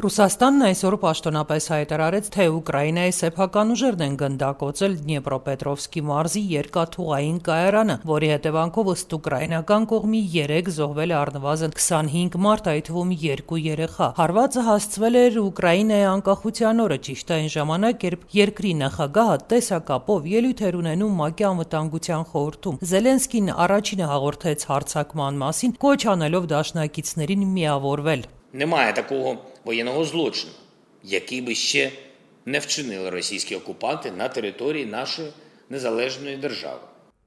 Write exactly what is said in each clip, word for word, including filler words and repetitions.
Ռուսաստանն այսօր պաշտոնապես հայտարարեց, թե Ուկրաինայի սեփական ուժերն են գնդակոծել Դնեպրոպետրովսկի մարզի երկաթուղային կայարանը, որի հետևանքով ըստ ուկրաինական կողմի երեք զոհվել է առնվազն քսանհինգ մարդ, այդ թվում երկու երեխա։ Հարվածը հասցվել էր Ուկրաինայի անկախության օրը, ճիշտ այն ժամանակ, երբ երկրի նախագահը տեսակապով ելույթ էր ունենում ՄԱԿ-ի անվտանգության խորհրդում։ Զելենսկին առաջինը հաղորդեց հարձակման մասին, կոչ անելով դաշնակիցներին միավորվել։ Немає такого воєнного злочину, який би ще не вчинили російські окупанти на території нашої незалежної держави.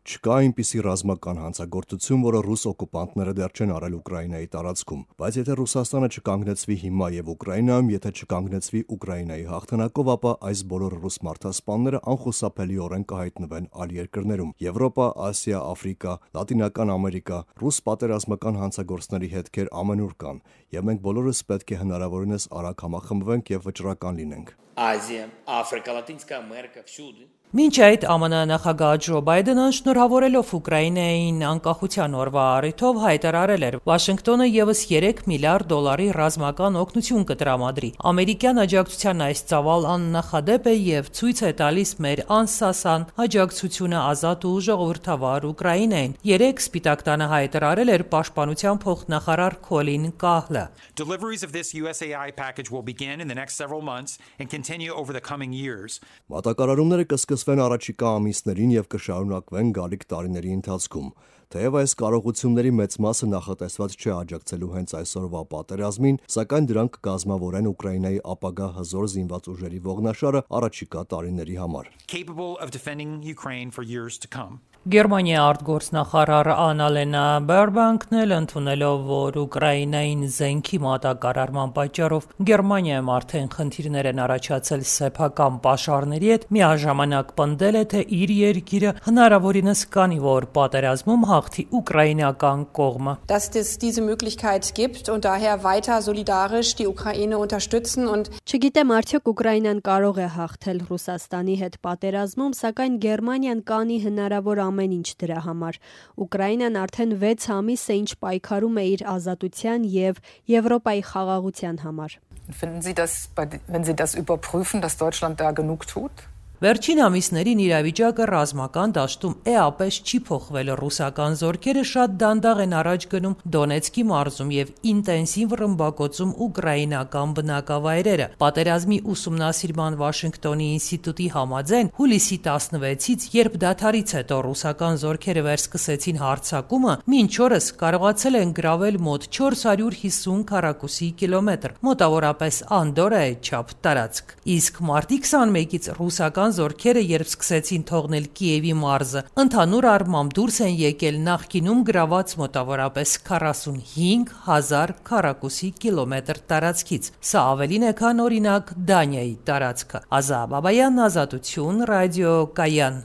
Չկա այնպիսի ռազմական հանցագործություն, որը ռուս օկուպանտները դեռ չեն արել Ուկրաինայի տարածքում, բայց եթե Ռուսաստանը չկանգնեցվի հիմա եւ Ուկրաինայում, եթե չկանգնեցվի Ուկրաինայի հաղթանակով, ապա այս բոլոր ռուս մարդասպանները անխուսափելիորեն կհայտնվեն այլ երկրներում՝ Եվրոպա, Ասիա, Աֆրիկա, Լատինական Ամերիկա։ Ռուս պատերազմական հանցագործների հետքեր ամենուր կան, եւ մենք բոլորս պետք է հնարավորինս արագ համախմբվենք եւ վճռական լինենք։ Азія, Африка, Латинська Америка, всюди. Մինչ այդ ԱՄՆ նախագահ Ջո Բայդենը շնորհավորելով Ուկրաինային անկախության օրվա առիթով հայտարարել էր, Վաշինգտոնը եւս երեք միլիարդ դոլարի ռազմական օգնություն կտրամադրի։ Ամերիկյան աջակցության այս ծավալ աննախադեպ է եւ ցույց է տալիս մեր անսասան աջակցությունը ազատ ու ժողովրդավար Ուկրաինային։ Երեք Սպիտակ տանը հայտարարել էր պաշտպանության փոխնախարար Քոլին Կահլը։ Deliveries of this U S A I package will begin in the next several months and continue over the coming years. Մատակարարումները կսկսվեն առաջիկա ամիսներին եւ կշարունակվեն գալիք տարիների ընթացքում։ Թեև այս կարողությունների մեծ մասը նախատեսված չէ աջակցելու հենց այսօրվա պատերազմին, սակայն դրանք կկազմավորեն Ուկրաինայի ապագա հզոր զինված ուժերի ողնաշարը առաջիկա տարիների համար։ Capable of defending Ukraine for years to come. Գերմանիայի արտգործնախարար Անալենա Բերբանկն էլ ընդունելով, որ Ուկրաինային զենքի մատակարարման պատճառով Գերմանիայում արդեն խնդիրներ են առաջացել սեփական պաշարների հետ, միաժամանակ պնդել է, թե իր երկիրը հնարավորինս կանի, որ պատերազմում հաղթի ուկրաինական կողմը։ Dass es diese Möglichkeit gibt und daher weiter solidarisch die Ukraine unterstützen und Չգիտեմ արդյոք Ուկրաինան կարող է հաղթել Ռուսաստանի հետ պատերազմում, սակայն Գերմանիան կանի հնարավոր ամեն ինչ դրա համար։ Ուկրաինան արդեն վեց ամիս է ինչ պայքարում է իր ազատության եւ Եվրոպայի խաղաղության համար։ Finden Sie das, wenn Sie das überprüfen, dass Deutschland da genug tut? Վերջին ամիսներին իրավիճակը ռազմական դաշտում էապես չի փոխվել։ Ռուսական զորքերը շատ դանդաղ են առաջ գնում Դոնեցկի մարզում եւ ինտենսիվ ռմբակոծում ուկրաինական բնակավայրերը։ Պատերազմի ուսումնասիրման Վաշինգտոնի ինստիտուտի համաձայն հուլիսի տասնվեցից, երբ դադարից հետո ռուսական զորքերը վերսկսեցին հարձակումը, մինչ օրս կարողացել են գրավել մոտ չորս հարյուր հիսուն քառակուսի կիլոմետր, մոտավորապես Անդորայի չափ տարածք։ Իսկ մարտի քսանմեկից ռուսական զորքերը երբ սկսեցին թողնել Կիևի մարզը, ընդհանուր առմամբ դուրս են եկել նախկինում գրաված մոտավորապես քառասունհինգ հազար քառակուսի կիլոմետր տարածքից։ Սա ավելին է, քան օրինակ Դանիայի տարածքը։ Ազա Բաբայան, Ազատություն, Ռադիո Կայան։